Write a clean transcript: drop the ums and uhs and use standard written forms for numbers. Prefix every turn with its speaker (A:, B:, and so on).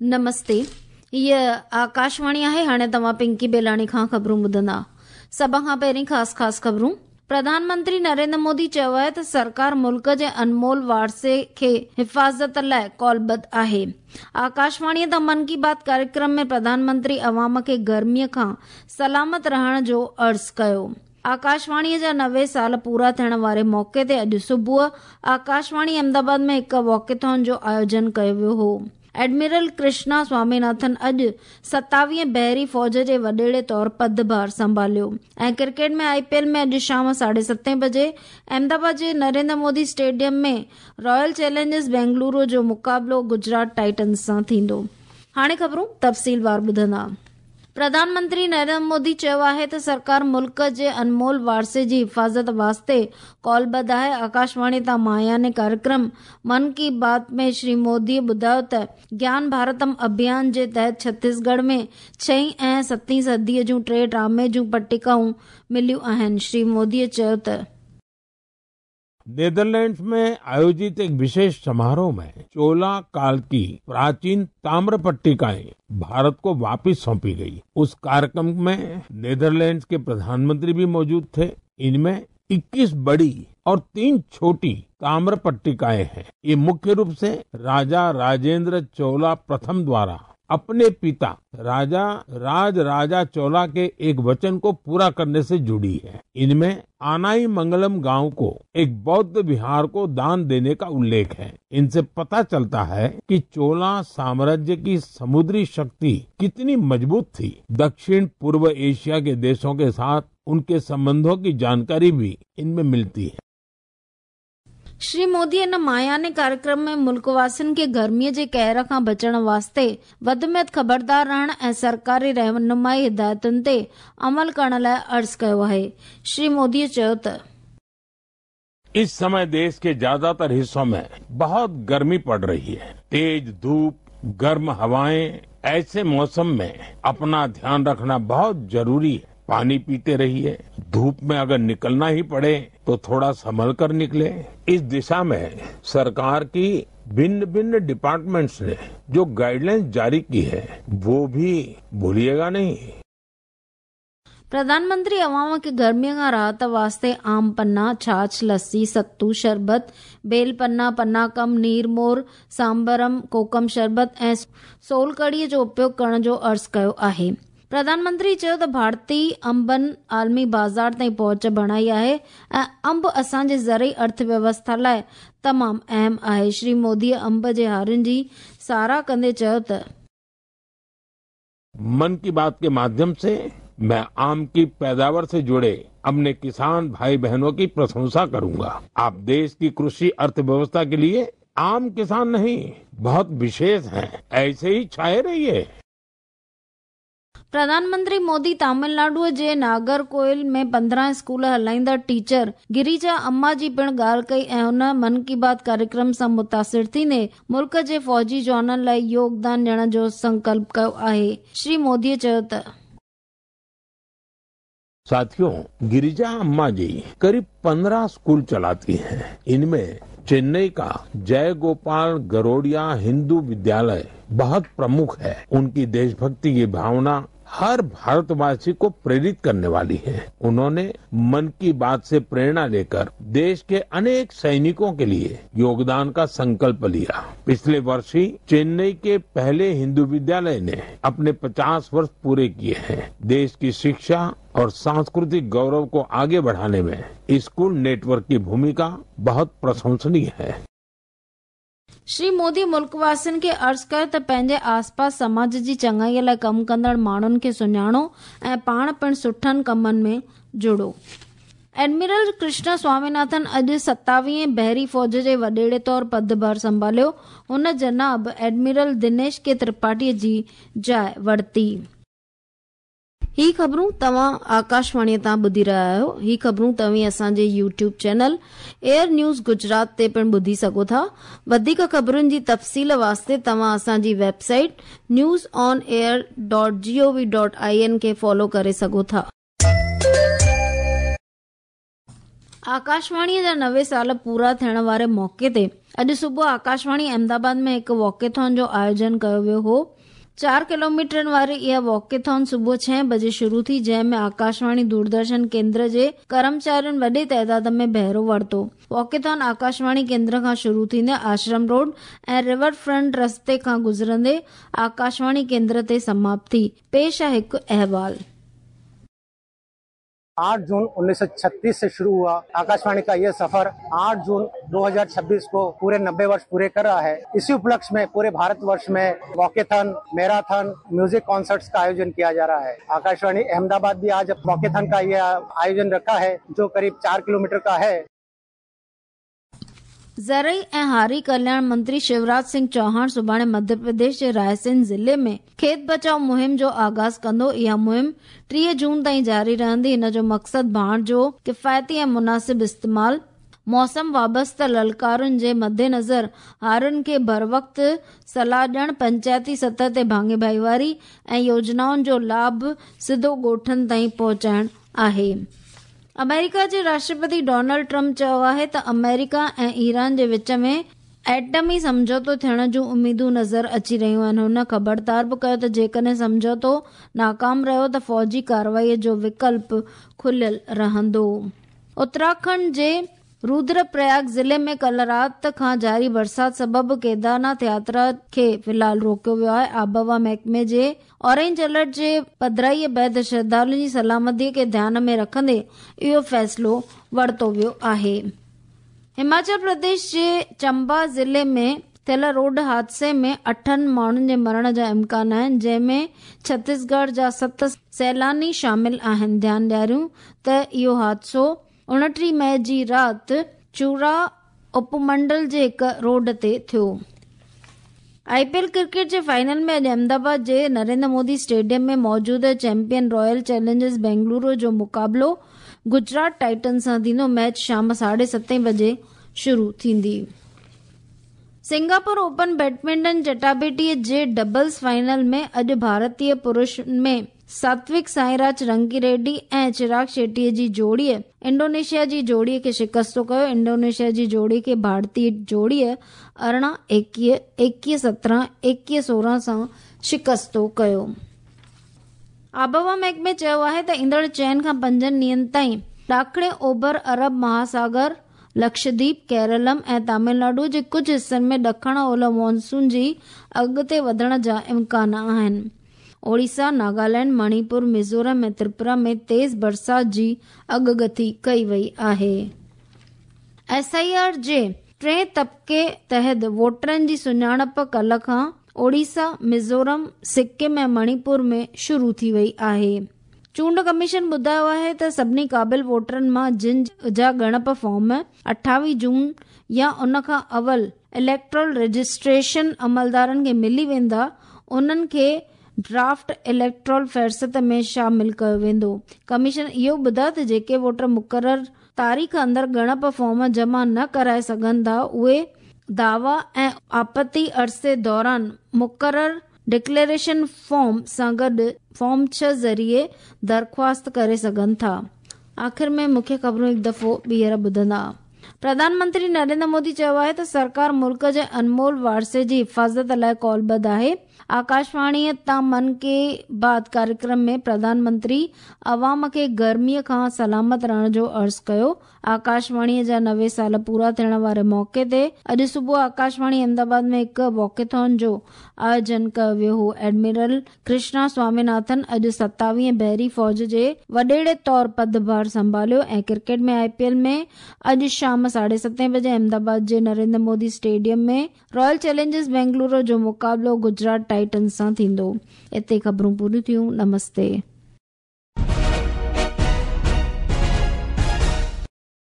A: نمستي هيء آڪاشواڻي آهي هاڻي توهان پنڪي بيلاڻي کان خبرون ٻڌندا سڀ کان پهرين خاص خاص خبرون پرڌان منتري نريندر مودي چيو آهي ته سرڪار ملڪ جي انمول وارثي کي حفاظت لاء قولبد آهي آڪاشواڻي تان من ڪي بات ڪاريڪرم ۾ پرڌان منتري عوام کي گرمي کان سلامت رهڻ جو عرض ڪيو آڪاشواڻيء جا 90 سال پورا ٿيڻ واري موقعي تي اڄ صبح آڪاشواڻي احمدآباد ۾ هڪ واڪٿون جو آيوجن ڪيو ويو هو. ايڊمرل ڪرشنا سواميناٿن اڄ ستاويهين بحري فوج جي وڏيري طور پدڀار سنڀاليو ۽ ڪرڪيٽ ۾ آء پي ايل ۾ اڄ شام ساڍي ستين بجي احمدآباد جي Narendra Modi stadium ۾ Royal Challengers Bengaluru جو مقابلو گجرات ٽائٽنز سان ٿيندو. هاڻي خبرون تفصيلوار ٻڌندا. پرڌان منتري نريندر مودي چيو آهي ته سرڪار ملڪ جي انمول وارثي جي حفاظت واسطي قولبد آهي. آڪاشواڻي تان ماهياني ڪاريڪرم من ڪي بات ۾ شري مودي ٻڌايو ته گيان ڀارتم اڀيان جي تحت ڇتيسڳڙهه ۾ ڇهين ۽ ستين صديء جون ٽي ٽامي جون پٽڪائون مليون آهن. شري مودي چيو ته.
B: नीदरलैंड्स में आयोजित एक विशेष समारोह में चोला काल की प्राचीन ताम्र पट्टिकाएं भारत को वापस सौंपी गई। उस कार्यक्रम में नीदरलैंड्स के प्रधानमंत्री भी मौजूद थे। इनमें 21 बड़ी और 3 छोटी ताम्र पट्टिकाएं हैं। ये मुख्य रूप से राजा राजेंद्र चोला प्रथम द्वारा अपने पिता राजा राज राजा चोला के एक वचन को पूरा करने से जुड़ी है। इनमें आनाई मंगलम गांव को एक बौद्ध विहार को दान देने का उल्लेख है। इनसे पता चलता है कि चोला साम्राज्य की समुद्री शक्ति कितनी मजबूत थी। दक्षिण पूर्व एशिया के देशों के साथ उनके संबंधों की जानकारी भी इनमें मिलती है।
A: श्री मोदी इन मायाने कार्यक्रम में मुल्कवासियुनि खे गर्मीअ जे कहर खां बचण वास्ते वधि में वधि ख़बरदार रहण ऐं सरकारी रहनुमाई हिदायतुनि ते अमल करण लाइ अर्ज़ कयो आहे। श्री मोदीअ चयो त
B: इस समय देश के ज्यादातर हिस्सों में बहुत गर्मी पड़ रही है। तेज धूप, गर्म हवाएं, ऐसे मौसम में अपना ध्यान रखना बहुत जरूरी है। पानी पीते रहिए, धूप में अगर निकलना ही पड़े तो थोड़ा संभल कर निकले। इस दिशा में सरकार की भिन्न भिन्न डिपार्टमेंट्स ने जो गाइडलाइंस जारी की है वो भी भूलिएगा नहीं।
A: प्रधानमंत्री अवाम खे गर्मीअ खां राहत वास्ते आम पन्ना, छाछ, लस्सी, सत्तू, शरबत, बेल पन्ना, पन्ना कम, नीरमोर, सांबरम, कोकम शरबत ऐं सोल कढ़ीअ जो उपयोग करण जो अर्ज़ कयो आहे। प्रधानमंत्री चयो त भारतीय अंबनि आलमी बाज़ार ताईं पहुच बणाई आहे ऐं अंब असांजे ज़रई अर्थव्यवस्था लाइ तमामु अहम आहे। श्री मोदीअ अंब जे हारियुनि जी सराह कंदे चयो त
B: मन की बात के माध्यम से मैं आम की पैदावार से जुड़े अपने किसान भाई बहनों की प्रशंसा करूंगा। आप देश की कृषि अर्थव्यवस्था के लिए आम किसान नहीं, बहुत विशेष हैं। ऐसे ही छाए रहिए।
A: प्रधानमंत्री मोदी तमिलनाडुअ जे नागरकोइल में 15 स्कूल हलाईंदड़ टीचर गिरिजा अम्मा जी पिणु ॻाल्हि कई ऐं हुन मन की बात कार्यक्रम सां मुतासिर थींदे मुल्क जे फ़ौजी जवाननि लाइ योगदान ॾियण जो संकल्प कयो आहे। श्री मोदीअ चयो त
B: साथियों, गिरिजा अम्मा जी करीब 15 स्कूल चलाती हैं। इनमें चेन्नई का जय गोपाल गरोडिया हिंदू विद्यालय बहुत प्रमुख है। उनकी देशभक्ति की भावना हर भारतवासी को प्रेरित करने वाली है। उन्होंने मन की बात से प्रेरणा लेकर देश के अनेक सैनिकों के लिए योगदान का संकल्प लिया। पिछले वर्ष ही चेन्नई के पहले हिंदू विद्यालय ने अपने 50 वर्ष पूरे किए हैं। देश की शिक्षा और सांस्कृतिक गौरव को आगे बढ़ाने में स्कूल नेटवर्क की भूमिका बहुत प्रशंसनीय है।
A: श्री मोदी मुल्कवासियुनि खे अर्ज़ कयो त पंहिंजे आसपास समाज जी चङाईअ लाइ कमु कंदड़ माण्हुनि खे सुञाणो ऐं पाण पिणु सुठनि कमनि में जुड़ो। एडमिरल कृष्णा स्वामीनाथन अॼु 27वें बहरी फ़ौज जे वॾेरे तौर पदभार संभालियो। हुन जनाब एडमिरल दिनेश के त्रिपाठीअ जी जाइ वरिती। ही ख़बरूं तव्हां आकाशवाणीअ तां ॿुधी रहिया आहियो। ही ख़बरूं तव्हीं असांजे YouTube channel AIR news Gujarat ते पिणु ॿुधी सघो था। वधीक ख़बरुनि जी तफ़सील वास्ते तव्हां असांजी वेबसाइट newsonair.gov.in खे फॉलो करे सघो था। آڪاشواڻيء جا 90 سال پورا ٿيڻ واري موقعي تي اڄ صبح آڪاشواڻي احمدآباد ۾ هڪ واڪيٿان جو آيوجن ڪيو ويو هو. چار ڪلوميٽرن واري اها واڪيٿان صبح ڇهين بجي شروع ٿي، جنهن ۾ آڪاشواڻي دوردرشن ڪيندر جي ڪرمچارين وڏي تعداد ۾ بهرو ورتو. واڪيٿان آڪاشواڻي ڪيندر کان شروع ٿيندي آشرم روڊ ۽ ريور فرنٽ رستي کان گذرندي آڪاشواڻي ڪيندر تي سماپت ٿي. پيش آهي هڪ احوال.
C: 8 जून 1936 से शुरू हुआ आकाशवाणी का यह सफर 8 जून 2026 को पूरे 90 वर्ष पूरे कर रहा है। इसी उपलक्ष्य में पूरे भारतवर्ष में वॉकेथन, मैराथन, म्यूजिक कॉन्सर्ट्स का आयोजन किया जा रहा है। आकाशवाणी अहमदाबाद भी आज वॉकेथन का यह आयोजन रखा है, जो करीब 4 किलोमीटर का है।
A: ज़रई ऐं हारी कल्याण मंत्री शिवराज सिंह चौहान सुभाणे मध्य प्रदेश जे रायसेन ज़िले में खेत बचाओ मुहिम जो आगाज़ कंदो। इहा मुहिम 30 जून ताईं जारी रहंदी। हिन जो मक़सदु भाण जो किफ़ायती ऐं मुनासिब इस्तेमाल, मौसम वाबस्ता ललकारुनि जे मद्देनज़र हारियुनि खे भरवक़्त सलाह ॾियण, पंचायती सतह ते भाङे भाईवारी ऐं योजनाउनि जो लाभ सिधो ॻोठनि ताईं पहुचाइण आहे। अमेरिका जे राष्ट्रपति डोनाल्ड ट्रंप चयो आहे त अमेरिका ऐं ईरान जे विच में एटमी सम्झौतो थियण जूं उम्मीदूं नज़र अची रहियूं आहिनि। हुन ख़बरदार बि कयो त जेकॾहिं सम्झौतो नाकाम रहियो त फ़ौजी कार्रवाईअ जो विकल्प खुलियल रहंदो। उत्तराखंड जे रुद्रप्रयाग ज़िले में कल रात खां जारी बरसात सबब केदारनाथ यात्रा खे फ़िलहाल रोकियो वियो आहे। आबहवा महकमे जे ऑरेंज अलर्ट जे पधराईअ बाद श्रद्धालुनि जी सलामतीअ खे ध्यान में रखंदे इहो फ़ैसिलो वरितो वियो आहे। हिमाचल प्रदेश जे चंबा ज़िले में थियल रोड हादसे में 8 माण्हुनि जे मरण जा इम्कान आहिनि, जंहिंमें छत्तीसगढ़ जा 7 सैलानी शामिल आहिनि। ध्यानु ॾियारियूं त इहो हादसो 29 मई जी राति चूरा उपमंडल जे हिकु रोड ते थियो। आईपीएल क्रिकेट जे फाइनल में अॼु अहमदाबाद जे नरेंद्र मोदी स्टेडियम में मौजूदा चैंपियन रॉयल चैलेंजर्स बेंगलुरु जो मुक़ाबिलो गुजरात टाइटन सां थींदो। मैच शाम 7:30 बजे शुरू थींदी। सिंगापुर ओपन बैडमिंटन चटाबेटीअ जे डबल्स फाइनल में अॼु भारतीय पुरुष में सात्विक साईराज रंगी रेड्डी ऐं चिराग शेट्टीअ जी जोड़ीअ इंडोनेशिया जी जोड़ीअ खे शिकस्तो कयो। इंडोनेशिया जी जोड़ी खे भारतीय जोड़ीअ 18 21, 21 17, 21 16 सां शिकस्तो कयो। आबहवा महकमे चयो आहे त ईंदड़ 4 खां 5 ॾींहंनि ताईं ॾाखिणे ओभर अरब महासागर, लक्षद्वीप, केरलम ऐं तमिलनाडु जे कुझु हिसनि में ॾखण ओलह मानसून जी अॻिते वधण जा इम्कान आहिनि। ओडिशा, नागालैंड, मणिपुर, मिज़ोरम ऐं त्रिपुरा में तेज़ बरसात जी अॻगथी कई वई आहे। एसआईआर जे टे तबके तहत वोटरनि जी सुञाणप कल्ह खां ओडिशा, मिज़ोरम, सिक्किम ऐं मणिपुर में शुरू थी वई आहे। चूंड कमीशन ॿुधायो आहे त सभिनी क़ाबिल वोटरनि मां जिन जा ॻणप फॉर्म 28 जून या उन खां अवल इलेक्ट्रल रजिस्ट्रेशन अमलदारनि खे मिली वेंदा, उन्हनि खे ड्राफ्ट इलेक्ट्रल फ़हरिस्त में शामिल कयो वेंदो। कमीशन इहो ॿुधायो त जेके वोटर मुक़ररु तारीख़ अंदरि ॻणप फॉर्म जमा न कराए सघनि था, उहे दावा ऐं आपत्ति अरसे दौरान मुक़ररु डिक्लेरेशन फॉर्म सां गॾु फॉर्म 6 ज़रिए दरख़्वास्त करे सघनि था। आख़िर में मुख्य ख़बरूं हिकु दफ़ो ॿीहर ॿुधंदा। प्रधानमंत्री नरेंद्र मोदी चयो आहे त सरकार मुल्क जे अनमोल वारसे जी हिफ़ाज़त लाइ कौलबद्ध आहे। आकाशवाणीअ तां मन की बात कार्यक्रम में प्रधानमंत्री अवाम खे गर्मीअ खां सलामत रहण जो अर्ज़ु कयो। आकाशवाणीअ जा 90 साल पूरा थियण वारे मौक़े ते अॼु सुबुह आकाशवाणी अहमदाबाद में हिकु वॉकेथॉन जो आयोजन कयो वियो हो। एडमिरल कृष्णा स्वामीनाथन अॼु 27वीं बहरी फ़ौज जे वॾेड़े तौर पदभार संभालियो। ऐं क्रिकेट में आईपीएल में अॼु शाम 7:30 बजे अहमदाबाद जे Narendra Modi stadium में रॉयल चैलेंजर्स बेंगलुरु जो मुक़ाबिलो गुजरात टाइटन सां थींदो। हिते ख़बरूं पूरियूं थियूं। नमस्ते।